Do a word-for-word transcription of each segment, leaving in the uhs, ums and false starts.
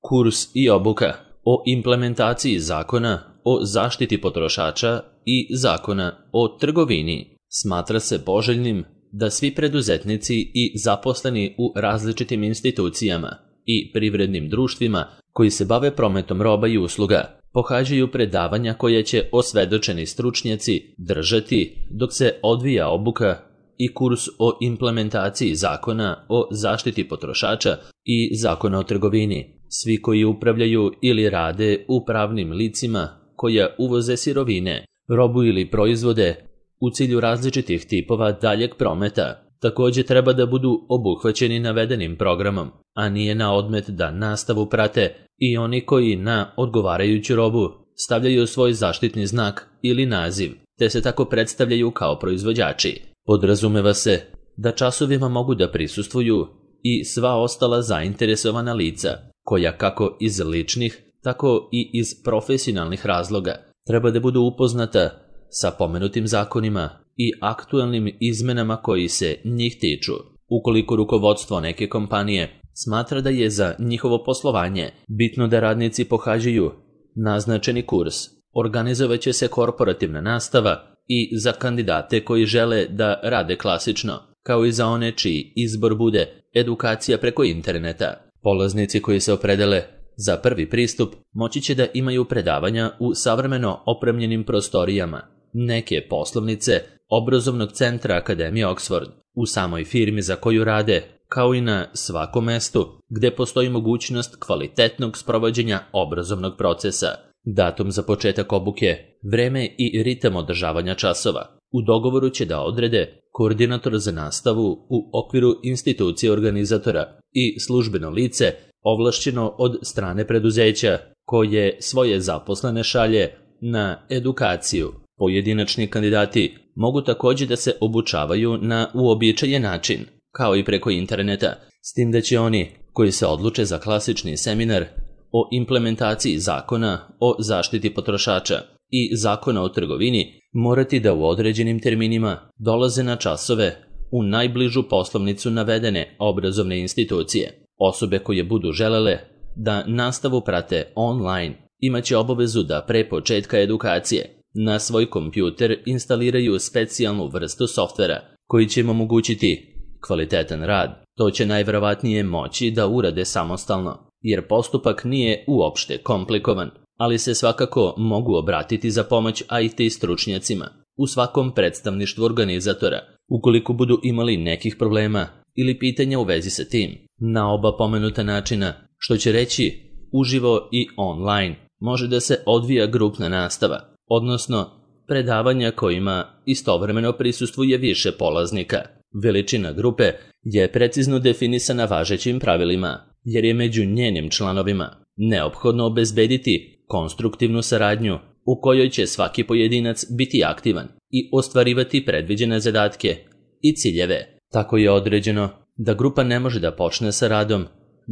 kurs i obuka o implementaciji zakona o zaštiti potrošača i zakona o trgovini. Smatra se poželjnim da svi preduzetnici i zaposleni u različitim institucijama i privrednim društvima koji se bave prometom roba i usluga pohađaju predavanja koje će osvedočeni stručnjaci držati dok se odvija obuka i kurs o implementaciji zakona o zaštiti potrošača i zakona o trgovini. Svi koji upravljaju ili rade u pravnim licima koja uvoze sirovine, robu ili proizvode u cilju različitih tipova daljeg prometa također treba da budu obuhvaćeni navedenim programom, a nije na odmet da nastavu prate i oni koji na odgovarajuću robu stavljaju svoj zaštitni znak ili naziv, te se tako predstavljaju kao proizvođači. Podrazumeva se da časovima mogu da prisustvuju i sva ostala zainteresovana lica, koja kako iz ličnih, tako i iz profesionalnih razloga treba da budu upoznata sa pomenutim zakonima i aktuelnim izmenama koji se njih tiču. Ukoliko rukovodstvo neke kompanije smatra da je za njihovo poslovanje bitno da radnici pohađaju naznačeni kurs, organizovaće se korporativna nastava i za kandidate koji žele da rade klasično, kao i za one čiji izbor bude edukacija preko interneta. Polaznici koji se opredele za prvi pristup moći će da imaju predavanja u savremeno opremljenim prostorijama neke poslovnice obrazovnog centra Akademije Oxford, u samoj firmi za koju rade, kao i na svakom mestu gde postoji mogućnost kvalitetnog sprovođenja obrazovnog procesa. Datum za početak obuke, vreme i ritam održavanja časova u dogovoru će da odrede koordinator za nastavu u okviru institucije organizatora i službeno lice ovlašćeno od strane preduzeća koje svoje zaposlene šalje na edukaciju. Pojedinačni kandidati mogu također da se obučavaju na uobičajen način, kao i preko interneta, s tim da će oni koji se odluče za klasični seminar o implementaciji zakona o zaštiti potrošača i zakona o trgovini morati da u određenim terminima dolaze na časove u najbližu poslovnicu navedene obrazovne institucije. Osobe koje budu želele da nastavu prate online imaće obavezu da pre početka edukacije na svoj kompjuter instaliraju specijalnu vrstu softvera koji će im omogućiti kvalitetan rad. To će najverovatnije moći da urade samostalno, jer postupak nije uopšte komplikovan, ali se svakako mogu obratiti za pomoć I T stručnjacima u svakom predstavništvu organizatora, ukoliko budu imali nekih problema ili pitanja u vezi sa tim. Na oba pomenuta načina, što će reći uživo i online, može da se odvija grupna nastava, odnosno predavanja kojima istovremeno prisustvuje više polaznika. Veličina grupe je precizno definisana važećim pravilima, jer je među njenim članovima neophodno obezbediti konstruktivnu saradnju u kojoj će svaki pojedinac biti aktivan i ostvarivati predviđene zadatke i ciljeve. Tako je određeno da grupa ne može da počne sa radom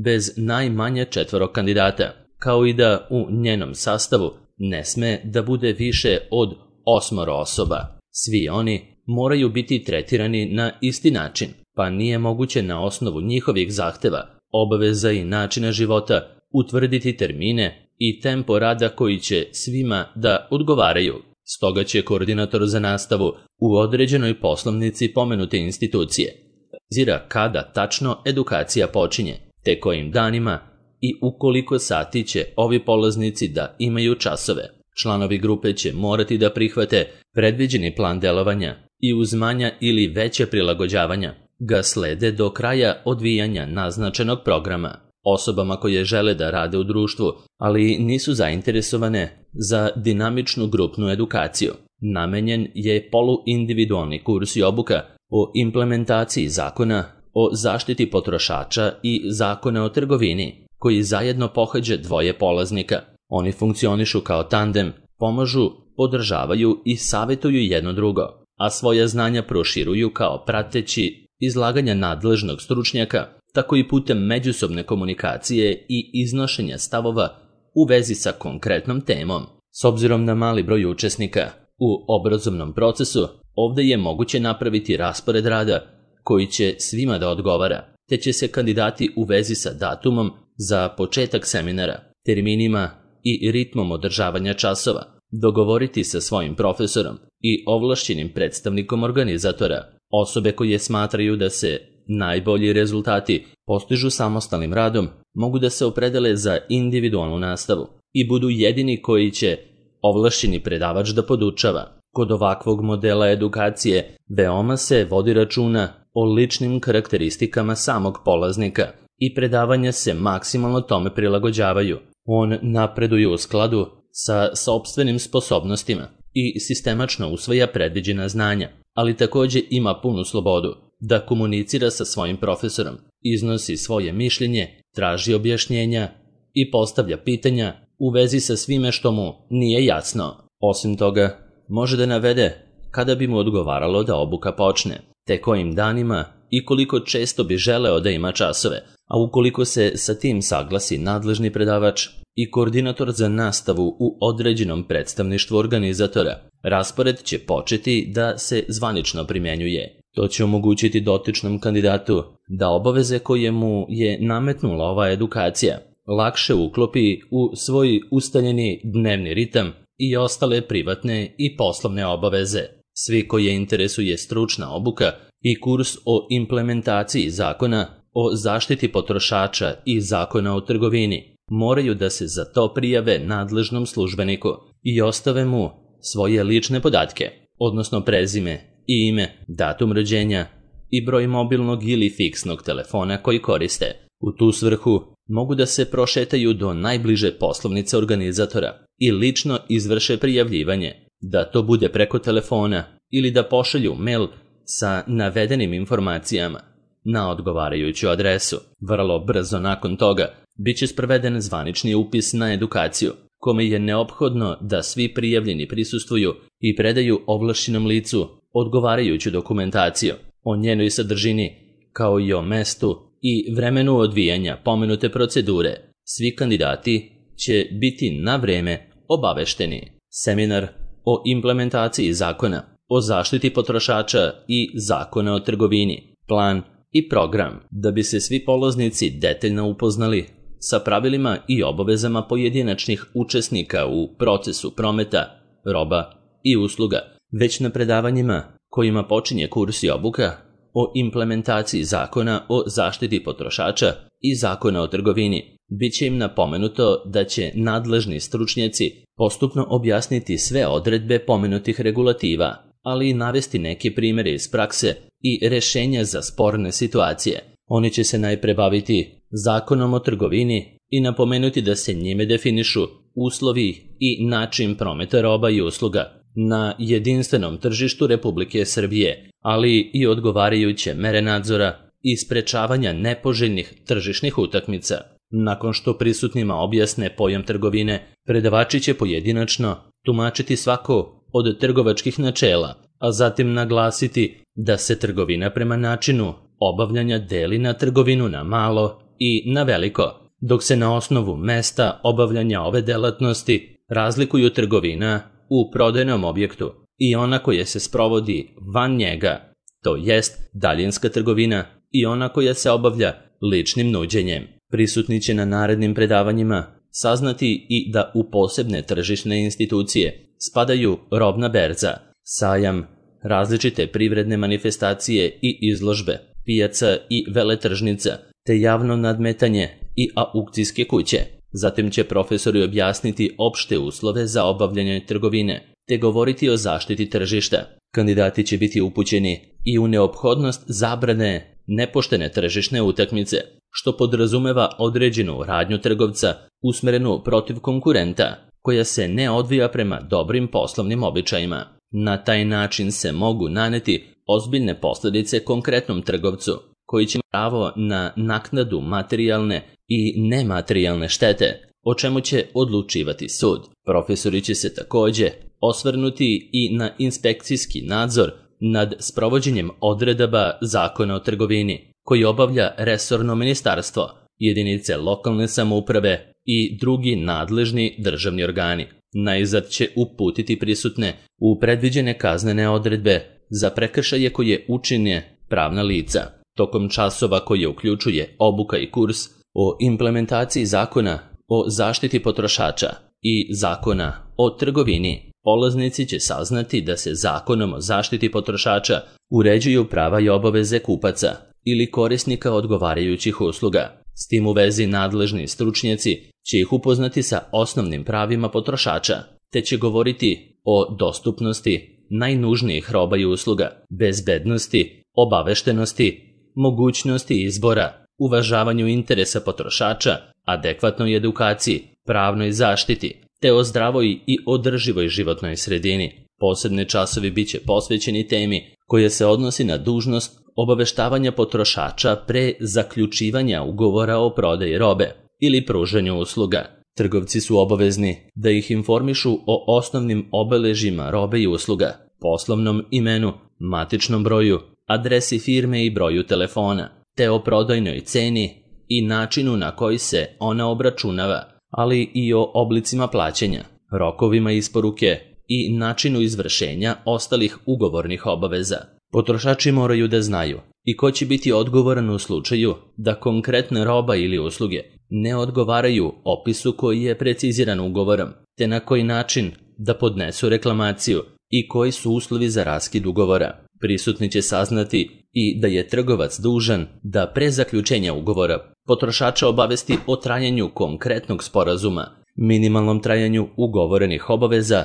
bez najmanje četvoro kandidata, kao i da u njenom sastavu ne sme da bude više od osmoro osoba. Svi oni moraju biti tretirani na isti način, pa nije moguće na osnovu njihovih zahteva, obaveza i načina života utvrditi termine i tempo rada koji će svima da odgovaraju. Stoga će koordinator za nastavu u određenoj poslovnici pomenute institucije zira kada tačno edukacija počinje, te kojim danima i u koliko sati će ovi polaznici da imaju časove. Članovi grupe će morati da prihvate predviđeni plan delovanja i uz manja ili veće prilagođavanja ga slede do kraja odvijanja naznačenog programa. Osobama koje žele da rade u društvu, ali nisu zainteresovane za dinamičnu grupnu edukaciju, namenjen je poluindividualni kurs i obuka o implementaciji zakona o zaštiti potrošača i zakona o trgovini, koji zajedno pohađa dvoje polaznika. Oni funkcionišu kao tandem, pomažu, podržavaju i savjetuju jedno drugo, a svoja znanja proširuju kao prateći izlaganja nadležnog stručnjaka, tako i putem međusobne komunikacije i iznošenja stavova u vezi sa konkretnom temom. S obzirom na mali broj učesnika u obrazovnom procesu, ovde je moguće napraviti raspored rada koji će svima da odgovara, te će se kandidati u vezi sa datumom za početak seminara, terminima i ritmom održavanja časova, dogovoriti sa svojim profesorom i ovlašćenim predstavnikom organizatora. Osobe koje smatraju da se najbolji rezultati postižu samostalnim radom mogu da se opredele za individualnu nastavu i budu jedini koji će ovlašćeni predavač da podučava. Kod ovakvog modela edukacije veoma se vodi računa o ličnim karakteristikama samog polaznika i predavanja se maksimalno tome prilagođavaju. On napreduje u skladu sa sopstvenim sposobnostima i sistemačno usvaja predviđena znanja, ali takođe ima punu slobodu da komunicira sa svojim profesorom, iznosi svoje mišljenje, traži objašnjenja i postavlja pitanja u vezi sa svime što mu nije jasno. Osim toga, može da navede kada bi mu odgovaralo da obuka počne, te kojim danima i koliko često bi želeo da ima časove, a ukoliko se sa tim saglasi nadležni predavač i koordinator za nastavu u određenom predstavništvu organizatora, raspored će početi da se zvanično primenjuje. To će omogućiti dotičnom kandidatu da obaveze koje mu je nametnula ova edukacija lakše uklopi u svoj ustaljeni dnevni ritam i ostale privatne i poslovne obaveze. Svi koje interesuje stručna obuka i kurs o implementaciji zakona o zaštiti potrošača i zakona o trgovini moraju da se za to prijave nadležnom službeniku i ostave mu svoje lične podatke, odnosno prezime i ime, datum rođenja i broj mobilnog ili fiksnog telefona koji koriste. U tu svrhu mogu da se prošetaju do najbliže poslovnice organizatora i lično izvrše prijavljivanje, da to bude preko telefona ili da pošalju mail sa navedenim informacijama na odgovarajuću adresu. Vrlo brzo nakon toga biće sproveden zvanični upis na edukaciju, kome je neophodno da svi prijavljeni prisustvuju i predaju ovlašćenom licu odgovarajuću dokumentaciju o njenoj sadržini, kao i o mestu i vremenu odvijanja pomenute procedure. Svi kandidati će biti na vreme obavešteni. Seminar o implementaciji zakona o zaštiti potrošača i zakona o trgovini, plan i program, da bi se svi polaznici detaljno upoznali sa pravilima i obavezama pojedinačnih učesnika u procesu prometa, roba i usluga. Već na predavanjima kojima počinje kurs i obuka o implementaciji zakona o zaštiti potrošača i zakona o trgovini, bit će im napomenuto da će nadležni stručnjaci postupno objasniti sve odredbe pomenutih regulativa, ali i navesti neke primere iz prakse i rešenja za sporne situacije. Oni će se najpre baviti zakonom o trgovini i napomenuti da se njime definišu uslovi i način prometa roba i usluga na jedinstvenom tržištu Republike Srbije, ali i odgovarajuće mere nadzora i sprečavanja nepoželjnih tržišnih utakmica. Nakon što prisutnima objasne pojam trgovine, predavači će pojedinačno tumačiti svako od trgovačkih načela, a zatim naglasiti da se trgovina prema načinu obavljanja deli na trgovinu na malo i na veliko, dok se na osnovu mesta obavljanja ove delatnosti razlikuju trgovina u prodajnom objektu i ona koja se sprovodi van njega, to jest daljinska trgovina, i ona koja se obavlja ličnim nuđenjem. Prisutni će na narednim predavanjima saznati i da u posebne tržišne institucije spadaju robna berza, sajam, različite privredne manifestacije i izložbe, pijaca i veletržnica, te javno nadmetanje i aukcijske kuće. Zatim će profesori objasniti opšte uslove za obavljanje trgovine, te govoriti o zaštiti tržišta. Kandidati će biti upućeni i u neophodnost zabrane nepoštene tržišne utakmice, što podrazumeva određenu radnju trgovca usmerenu protiv konkurenta, koja se ne odvija prema dobrim poslovnim običajima. Na taj način se mogu naneti ozbiljne posljedice konkretnom trgovcu, koji će pravo na naknadu materijalne i nematerijalne štete, o čemu će odlučivati sud. Profesori će se takođe osvrnuti i na inspekcijski nadzor nad sprovođenjem odredaba zakona o trgovini, koji obavlja resorno ministarstvo, jedinice lokalne samouprave i drugi nadležni državni organi. Najzad će uputiti prisutne u predviđene kaznene odredbe za prekršaje koje učine pravna lica. Tokom časova koje uključuje obuka i kurs, o implementaciji zakona o zaštiti potrošača i zakona o trgovini, polaznici će saznati da se zakonom o zaštiti potrošača uređuju prava i obaveze kupaca ili korisnika odgovarajućih usluga. S tim u vezi nadležni stručnjaci će ih upoznati sa osnovnim pravima potrošača, te će govoriti o dostupnosti najnužnijih roba i usluga, bezbednosti, obaveštenosti, mogućnosti izbora, uvažavanju interesa potrošača, adekvatnoj edukaciji, pravnoj zaštiti, te o zdravoj i održivoj životnoj sredini. Posebni časovi bit će posvećeni temi koja se odnosi na dužnost obaveštavanja potrošača pre zaključivanja ugovora o prodaji robe ili pružanju usluga. Trgovci su obavezni da ih informišu o osnovnim obeležjima robe i usluga, poslovnom imenu, matičnom broju, adresi firme i broju telefona, te o prodajnoj ceni i načinu na koji se ona obračunava, ali i o oblicima plaćanja, rokovima isporuke i načinu izvršenja ostalih ugovornih obaveza. Potrošači moraju da znaju i ko će biti odgovoran u slučaju da konkretna roba ili usluge ne odgovaraju opisu koji je preciziran ugovorom, te na koji način da podnesu reklamaciju i koji su uslovi za raskid ugovora. Prisutni će saznati i da je trgovac dužan da pre zaključenja ugovora potrošača obavesti o trajanju konkretnog sporazuma, minimalnom trajanju ugovorenih obaveza,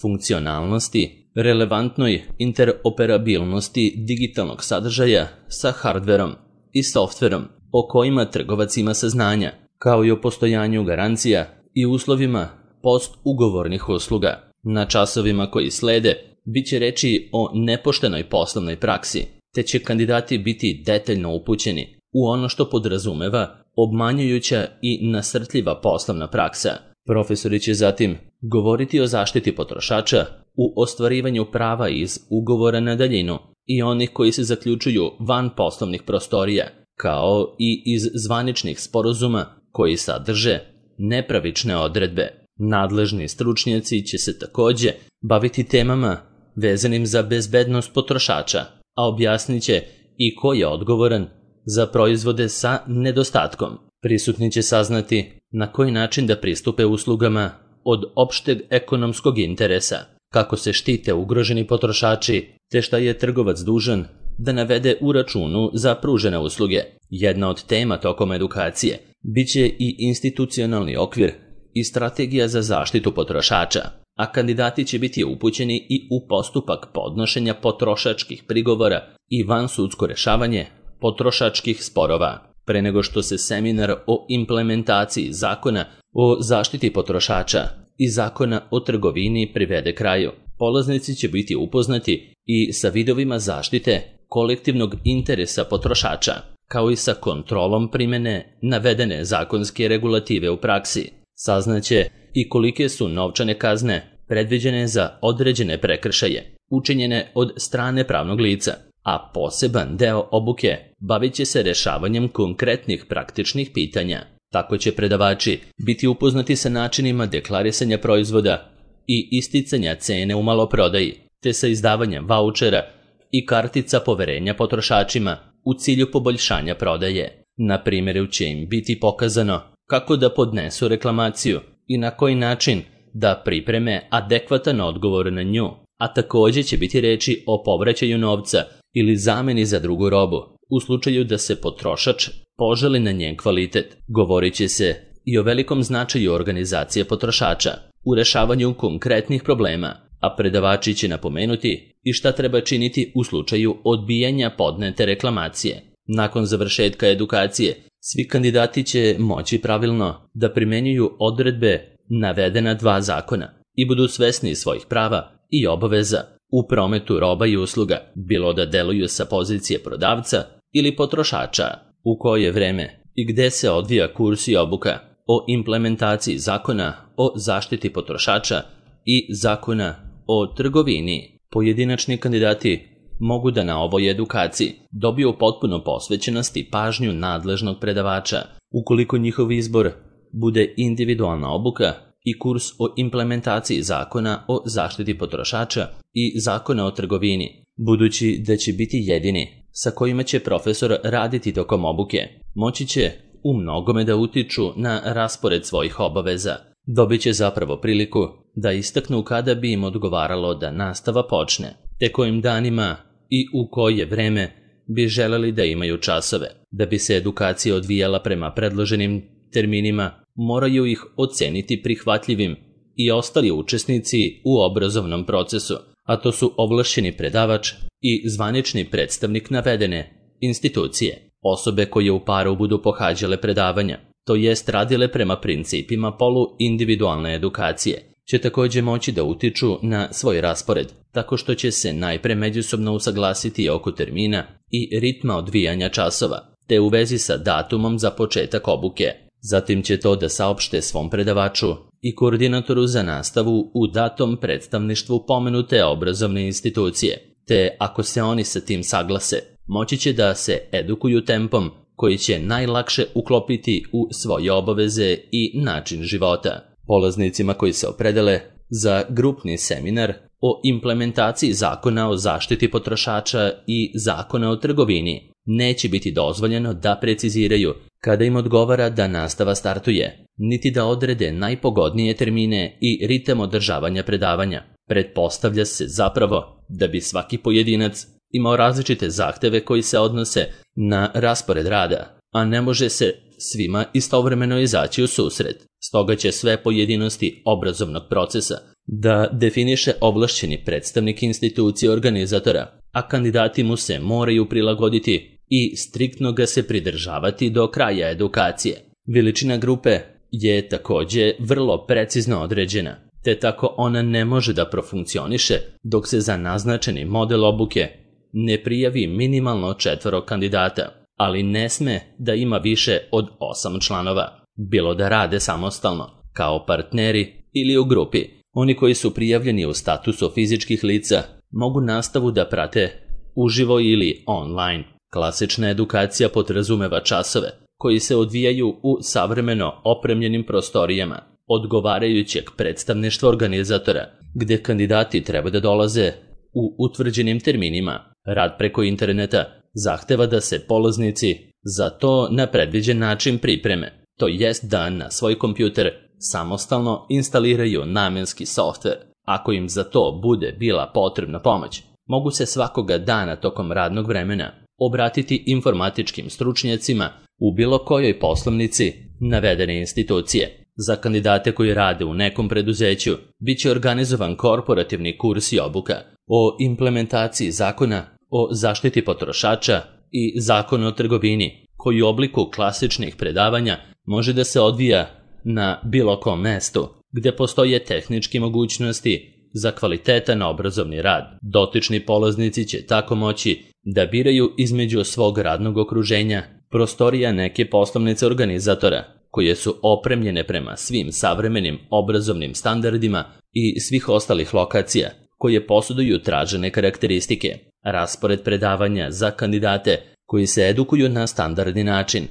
funkcionalnosti, relevantnoj interoperabilnosti digitalnog sadržaja sa hardverom i softverom o kojima trgovac ima saznanja, kao i o postojanju garancija i uslovima post-ugovornih usluga. Na časovima koji slede bit će reči o nepoštenoj poslovnoj praksi, te će kandidati biti detaljno upućeni u ono što podrazumeva obmanjujuća i nasrtljiva poslovna praksa. Profesori će zatim govoriti o zaštiti potrošača u ostvarivanju prava iz ugovora na daljinu i onih koji se zaključuju van poslovnih prostorija, kao i iz zvaničnih sporazuma koji sadrže nepravične odredbe. Nadležni stručnjaci će se takođe baviti temama vezanim za bezbednost potrošača, a objasnit će i ko je odgovoran za proizvode sa nedostatkom. Prisutni će saznati na koji način da pristupe uslugama od opšteg ekonomskog interesa, kako se štite ugroženi potrošači, te šta je trgovac dužan da navede u računu za pružene usluge. Jedna od tema tokom edukacije biće i institucionalni okvir i strategija za zaštitu potrošača, a kandidati će biti upućeni i u postupak podnošenja potrošačkih prigovora i vansudsko rešavanje potrošačkih sporova. Pre nego što se seminar o implementaciji zakona o zaštiti potrošača i zakona o trgovini privede kraju, polaznici će biti upoznati i sa vidovima zaštite kolektivnog interesa potrošača, kao i sa kontrolom primene navedene zakonske regulative u praksi. Saznaće i kolike su novčane kazne predviđene za određene prekršaje, učinjene od strane pravnog lica, a poseban deo obuke bavit će se rešavanjem konkretnih praktičnih pitanja. Tako će predavači biti upoznati sa načinima deklarisanja proizvoda i isticanja cene u maloprodaji, te sa izdavanjem vaučera i kartica poverenja potrošačima u cilju poboljšanja prodaje. Na primjeru će im biti pokazano kako da podnesu reklamaciju i na koji način da pripreme adekvatan odgovor na nju, a takođe će biti reči o povraćaju novca ili zameni za drugu robu, u slučaju da se potrošač poželi na njen kvalitet. Govorit će se i o velikom značaju organizacije potrošača u rešavanju konkretnih problema, a predavači će napomenuti i šta treba činiti u slučaju odbijanja podnete reklamacije. Nakon završetka edukacije, svi kandidati će moći pravilno da primenjuju odredbe navedena dva zakona i budu svesni svojih prava i obaveza u prometu roba i usluga, bilo da deluju sa pozicije prodavca ili potrošača. U koje vreme i gde se odvija kurs i obuka o implementaciji zakona o zaštiti potrošača i zakona o trgovini. Pojedinačni kandidati mogu da na ovoj edukaciji dobiju potpuno posvećenost i pažnju nadležnog predavača. Ukoliko njihov izbor bude individualna obuka i kurs o implementaciji zakona o zaštiti potrošača i zakona o trgovini, budući da će biti jedini sa kojima će profesor raditi tokom obuke, moći će u mnogome da utiču na raspored svojih obaveza. Dobit će zapravo priliku da istaknu kada bi im odgovaralo da nastava počne, te kojim danima i u koje vreme bi želeli da imaju časove. Da bi se edukacija odvijala prema predloženim terminima, moraju ih oceniti prihvatljivim i ostali učesnici u obrazovnom procesu, a to su ovlašćeni predavač i zvanični predstavnik navedene institucije. Osobe koje u paru budu pohađale predavanja, to jest radile prema principima polu-individualne edukacije, će također moći da utiču na svoj raspored, tako što će se najpre međusobno usaglasiti oko termina i ritma odvijanja časova, te u vezi sa datumom za početak obuke. Zatim će to da saopšte svom predavaču i koordinatoru za nastavu u datom predstavništvu pomenute obrazovne institucije, te ako se oni sa tim saglase, moći će da se edukuju tempom koji će najlakše uklopiti u svoje obaveze i način života. Polaznicima koji se opredele za grupni seminar o implementaciji zakona o zaštiti potrošača i zakona o trgovini neće biti dozvoljeno da preciziraju kada im odgovara da nastava startuje, niti da odrede najpogodnije termine i ritam održavanja predavanja. Pretpostavlja se zapravo da bi svaki pojedinac imao različite zahteve koji se odnose na raspored rada, a ne može se svima istovremeno izaći u susret. Stoga će sve pojedinosti obrazovnog procesa da definiše ovlašćeni predstavnik institucije organizatora, a kandidati mu se moraju prilagoditi i striktno ga se pridržavati do kraja edukacije. Veličina grupe je također vrlo precizno određena, te tako ona ne može da profunkcioniše dok se za naznačeni model obuke ne prijavi minimalno četvoro kandidata, ali ne sme da ima više od osam članova, bilo da rade samostalno, kao partneri ili u grupi. Oni koji su prijavljeni u statusu fizičkih lica mogu nastavu da prate uživo ili online. Klasična edukacija podrazumeva časove koji se odvijaju u savremeno opremljenim prostorijama odgovarajućeg predstavništva organizatora, gdje kandidati treba da dolaze u utvrđenim terminima. Rad preko interneta zahteva da se polaznici za to na predviđen način pripreme, to jest da na svoj kompjuter samostalno instaliraju namenski softver. Ako im za to bude bila potrebna pomoć, mogu se svakoga dana tokom radnog vremena obratiti informatičkim stručnjacima u bilo kojoj poslovnici navedene institucije. Za kandidate koji rade u nekom preduzeću bit će organizovan korporativni kurs i obuka o implementaciji zakona o zaštiti potrošača i zakona o trgovini, koji u obliku klasičnih predavanja može da se odvija na bilo kom mestu gdje postoje tehničke mogućnosti za kvalitetan obrazovni rad. Dotični polaznici će tako moći da biraju između svog radnog okruženja prostorija neke poslovnice organizatora, koje su opremljene prema svim savremenim obrazovnim standardima i svih ostalih lokacija koje posjeduju tražene karakteristike. Raspored predavanja za kandidate koji se edukuju na standardni način,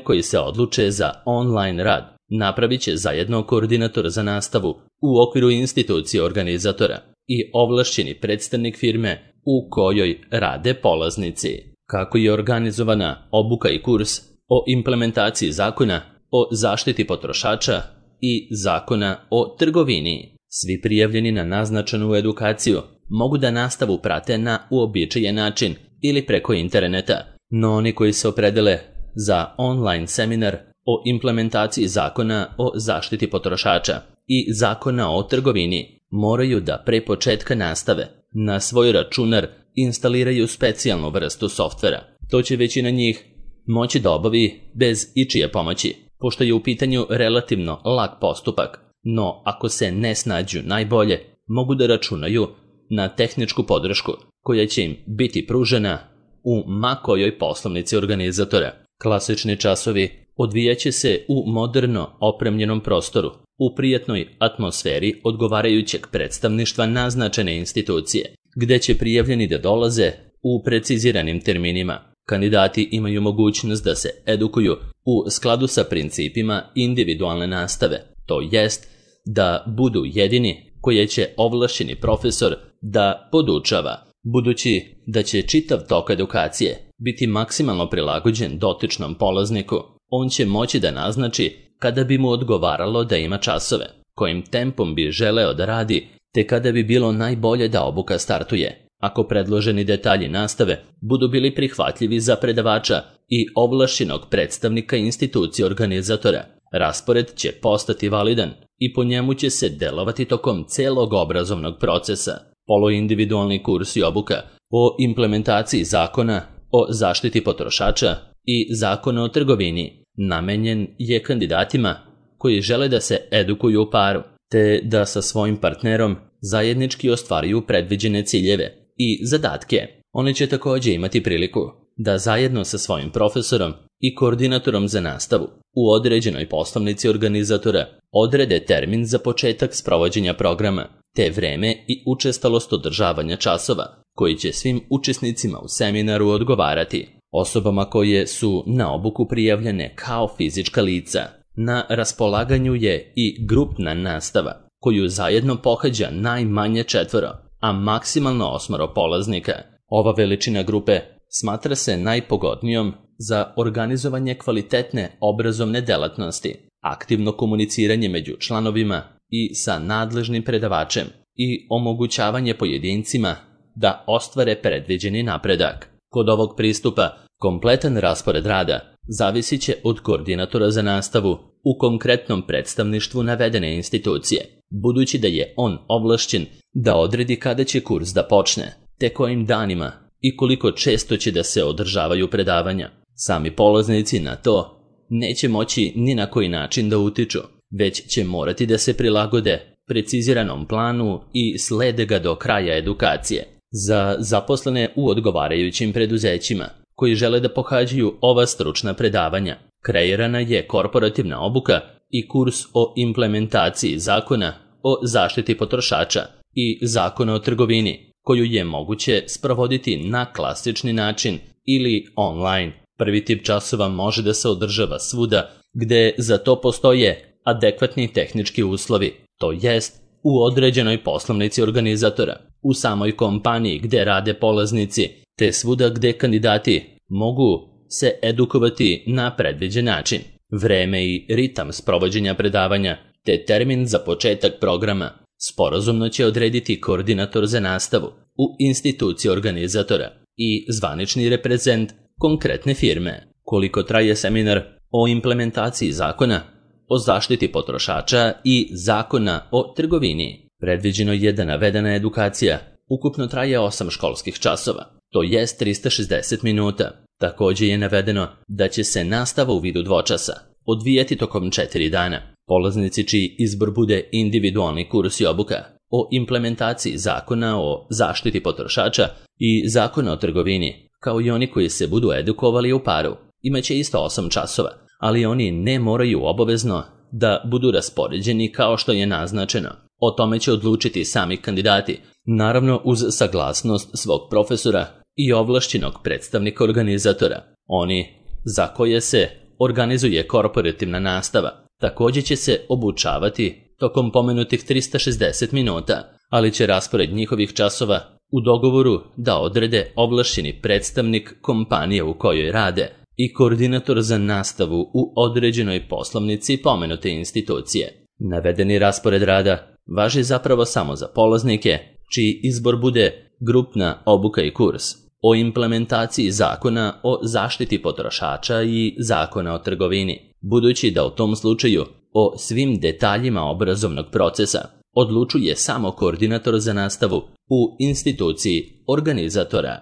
koji se odluče za online rad, napravit će zajedno koordinator za nastavu u okviru institucije organizatora i ovlašćeni predstavnik firme u kojoj rade polaznici. Kako je organizovana obuka i kurs o implementaciji zakona o zaštiti potrošača i zakona o trgovini. Svi prijavljeni na naznačenu edukaciju mogu da nastavu prate na uobičajen način ili preko interneta, no oni koji se opredele za online seminar o implementaciji zakona o zaštiti potrošača i zakona o trgovini moraju da pre početka nastave na svoj računar instaliraju specijalnu vrstu softvera. To će većina njih moći da obavi bez ičije pomoći, pošto je u pitanju relativno lak postupak, no ako se ne snađu najbolje, mogu da računaju na tehničku podršku koja će im biti pružena u ma kojoj poslovnici organizatora. Klasični časovi odvijaće se u moderno opremljenom prostoru, u prijatnoj atmosferi odgovarajućeg predstavništva naznačene institucije, gde će prijavljeni da dolaze u preciziranim terminima. Kandidati imaju mogućnost da se edukuju u skladu sa principima individualne nastave, to jest da budu jedini koje će ovlašćeni profesor da podučava, budući da će čitav tok edukacije biti maksimalno prilagođen dotičnom polazniku. on će moći da naznači kada bi mu odgovaralo da ima časove, kojim tempom bi želeo da radi, te kada bi bilo najbolje da obuka startuje. Ako predloženi detalji nastave budu bili prihvatljivi za predavača i ovlašćenog predstavnika institucije organizatora, raspored će postati validan i po njemu će se delovati tokom celog obrazovnog procesa. Poluindividualni kurs i obuka o implementaciji zakona o zaštiti potrošača i zakona o trgovini namenjen je kandidatima koji žele da se edukuju u paru, te da sa svojim partnerom zajednički ostvaruju predviđene ciljeve i zadatke. Oni će također imati priliku da zajedno sa svojim profesorom i koordinatorom za nastavu u određenoj poslovnici organizatora odrede termin za početak sprovođenja programa, te vreme i učestalost održavanja časova, koji će svim učesnicima u seminaru odgovarati. Osobama koje su na obuku prijavljene kao fizička lica, na raspolaganju je i grupna nastava, koju zajedno pohađa najmanje četvoro, a maksimalno osmoro polaznika. Ova veličina grupe smatra se najpogodnijom za organizovanje kvalitetne obrazovne delatnosti, aktivno komuniciranje među članovima i sa nadležnim predavačem i omogućavanje pojedincima da ostvare predviđeni napredak. Kod ovog pristupa, kompletan raspored rada zavisit će od koordinatora za nastavu u konkretnom predstavništvu navedene institucije, budući da je on ovlašćen da odredi kada će kurs da počne, te kojim danima i koliko često će da se održavaju predavanja. Sami polaznici na to neće moći ni na koji način da utiču, već će morati da se prilagode preciziranom planu i slede ga do kraja edukacije. Za zaposlene u odgovarajućim preduzećima koji žele da pohađaju ova stručna predavanja, kreirana je korporativna obuka i kurs o implementaciji zakona o zaštiti potrošača i zakona o trgovini, koju je moguće sprovoditi na klasični način ili online. Prvi tip časova može da se održava svuda gde za to postoje adekvatni tehnički uslovi, to jest u određenoj poslovnici organizatora, u samoj kompaniji gde rade polaznici, te svuda gde kandidati mogu se edukovati na predviđen način. Vreme i ritam sprovođenja predavanja te termin za početak programa sporazumno će odrediti koordinator za nastavu u instituciji organizatora i zvanični reprezent konkretne firme. Koliko traje seminar o implementaciji zakona o zaštiti potrošača i zakona o trgovini? Predviđeno je da navedena edukacija ukupno traje osam školskih časova, to jest trista šezdeset minuta. Također je navedeno da će se nastava u vidu dvočasa odvijati tokom četiri dana. Polaznici čiji izbor bude individualni kurs i obuka o implementaciji zakona o zaštiti potrošača i zakona o trgovini, kao i oni koji se budu edukovali u paru, imaće isto osam časova, ali oni ne moraju obavezno da budu raspoređeni kao što je naznačeno. O tome će odlučiti sami kandidati, naravno uz saglasnost svog profesora i ovlašćenog predstavnika organizatora. Oni za koje se organizuje korporativna nastava također će se obučavati tokom pomenutih trista šezdeset minuta, ali će raspored njihovih časova u dogovoru da odrede ovlašćeni predstavnik kompanije u kojoj rade i koordinator za nastavu u određenoj poslovnici pomenute institucije. Navedeni raspored rada važi zapravo samo za polaznike čiji izbor bude grupna obuka i kurs o implementaciji zakona o zaštiti potrošača i zakona o trgovini, budući da u tom slučaju o svim detaljima obrazovnog procesa odlučuje samo koordinator za nastavu u instituciji organizatora.